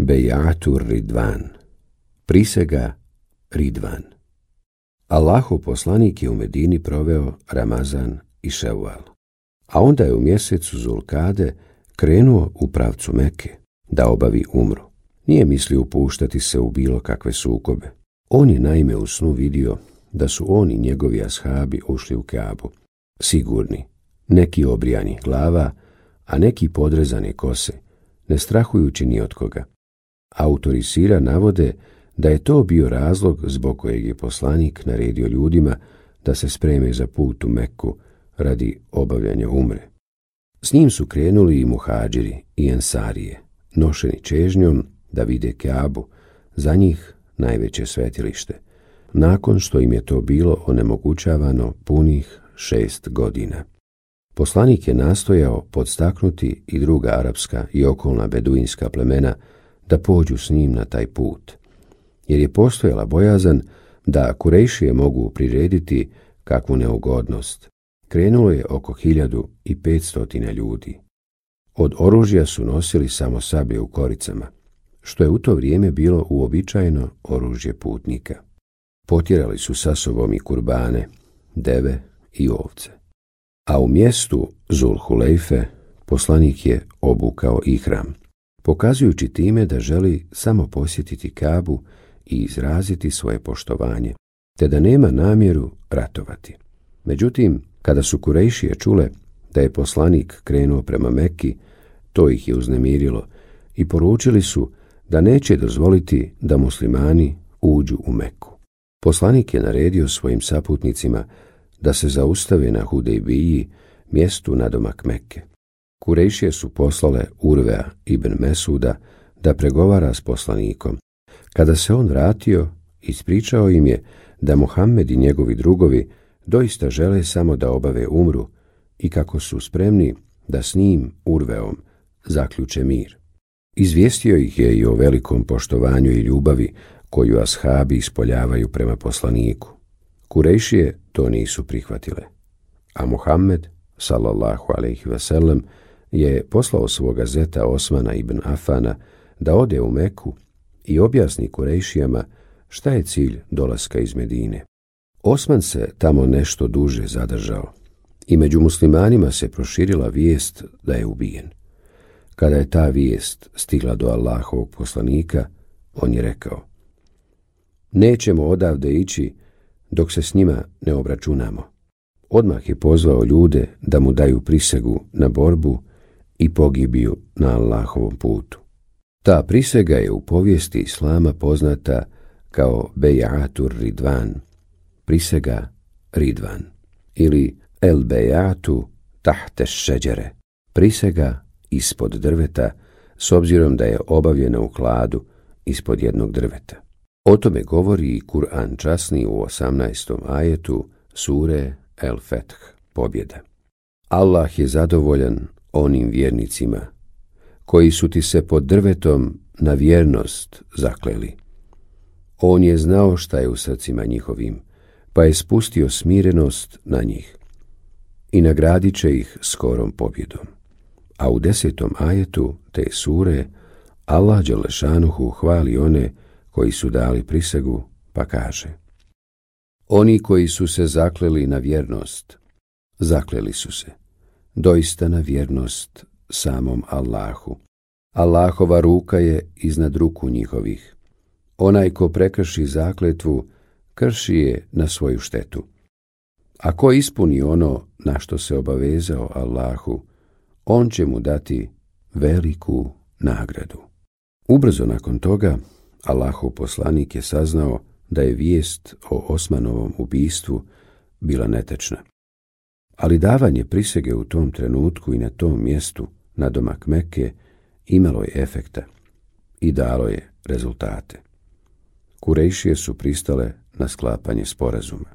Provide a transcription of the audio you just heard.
Bejatu Ridvan, prisega Ridvan. Allahov poslanik je u Medini proveo Ramazan i Ševal, a onda je u mjesecu Zulkade krenuo u pravcu Mekke da obavi umru. Nije mislio upuštati se u bilo kakve sukobe. On je naime u snu vidio da su on i njegovi ashabi ušli u Kaabu, sigurni, neki obrijani glava, a neki podrezane kose, ne strahujući ni od koga. Autori sira navode da je to bio razlog zbog kojeg je poslanik naredio ljudima da se spreme za put u Mekku radi obavljanja umre. S njim su krenuli i muhadžiri i ensarije, nošeni čežnjom da vide Kaabu, za njih najveće svetilište, nakon što im je to bilo onemogućavano punih 6 godina. Poslanik je nastojao podstaknuti i druga arapska i okolna beduinska plemena da pođu s njim na taj put, jer je postojala bojazan da Kurejšije mogu prirediti kakvu neugodnost. Krenulo je oko 1500 ljudi. Od oružja su nosili samo sablje u koricama, što je u to vrijeme bilo uobičajeno oružje putnika. Potjerali su sa sobom i kurbane, deve i ovce. A u mjestu Zulhulejfe poslanik je obukao ihram, pokazujući time da želi samo posjetiti Kaabu i izraziti svoje poštovanje, te da nema namjeru ratovati. Međutim, kada su Kurejšije čule da je poslanik krenuo prema Mekki, to ih je uznemirilo i poručili su da neće dozvoliti da muslimani uđu u Mekku. Poslanik je naredio svojim saputnicima da se zaustave na Hudejbiji, mjestu nadomak Mekke. Kurejšije su poslale Urvea ibn Mesuda da pregovara s poslanikom. Kada se on vratio, ispričao im je da Muhammed i njegovi drugovi doista žele samo da obave umru i kako su spremni da s njim, Urveom, zaključe mir. Izvijestio ih je i o velikom poštovanju i ljubavi koju ashabi ispoljavaju prema poslaniku. Kurejšije to nisu prihvatile, a Muhammed, sallallahu alejhi ve sellem, je poslao svoga zeta Osmana ibn Afana da ode u Meku i objasni Kurejšijama šta je cilj dolaska iz Medine. Osman se tamo nešto duže zadržao i među muslimanima se proširila vijest da je ubijen. Kada je ta vijest stigla do Allahovog poslanika, on je rekao: nećemo odavde ići dok se s njima ne obračunamo. Odmah je pozvao ljude da mu daju prisegu na borbu i pogibiju na Allahovom putu. Ta prisega je u povijesti islama poznata kao Bejatu Ridvan, prisega Ridvan, ili El Bejatu tahte šeđere, prisega ispod drveta, s obzirom da je obavljena u hladu ispod jednog drveta. O tome govori i Kur'an časni u 18. ajetu sure El Feth, pobjeda. Allah je zadovoljan onim vjernicima koji su ti se pod drvetom na vjernost zakleli. On je znao šta je u srcima njihovim, pa je spustio smirenost na njih i nagradit će ih skorom pobjedom. A u 10. ajetu te sure Allah dželešanuhu hvali one koji su dali prisegu, pa kaže: oni koji su se zakleli na vjernost, zakleli su se doista na vjernost samom Allahu. Allahova ruka je iznad ruku njihovih. Onaj ko prekrši zakletvu, krši je na svoju štetu. A ko ispuni ono na što se obavezao Allahu, on će mu dati veliku nagradu. Ubrzo nakon toga, Allahov poslanik je saznao da je vijest o Osmanovom ubistvu bila netečna. Ali davanje prisege u tom trenutku i na tom mjestu, nadomak Mekke, imalo je efekta i dalo je rezultate. Kurejšije su pristale na sklapanje sporazuma.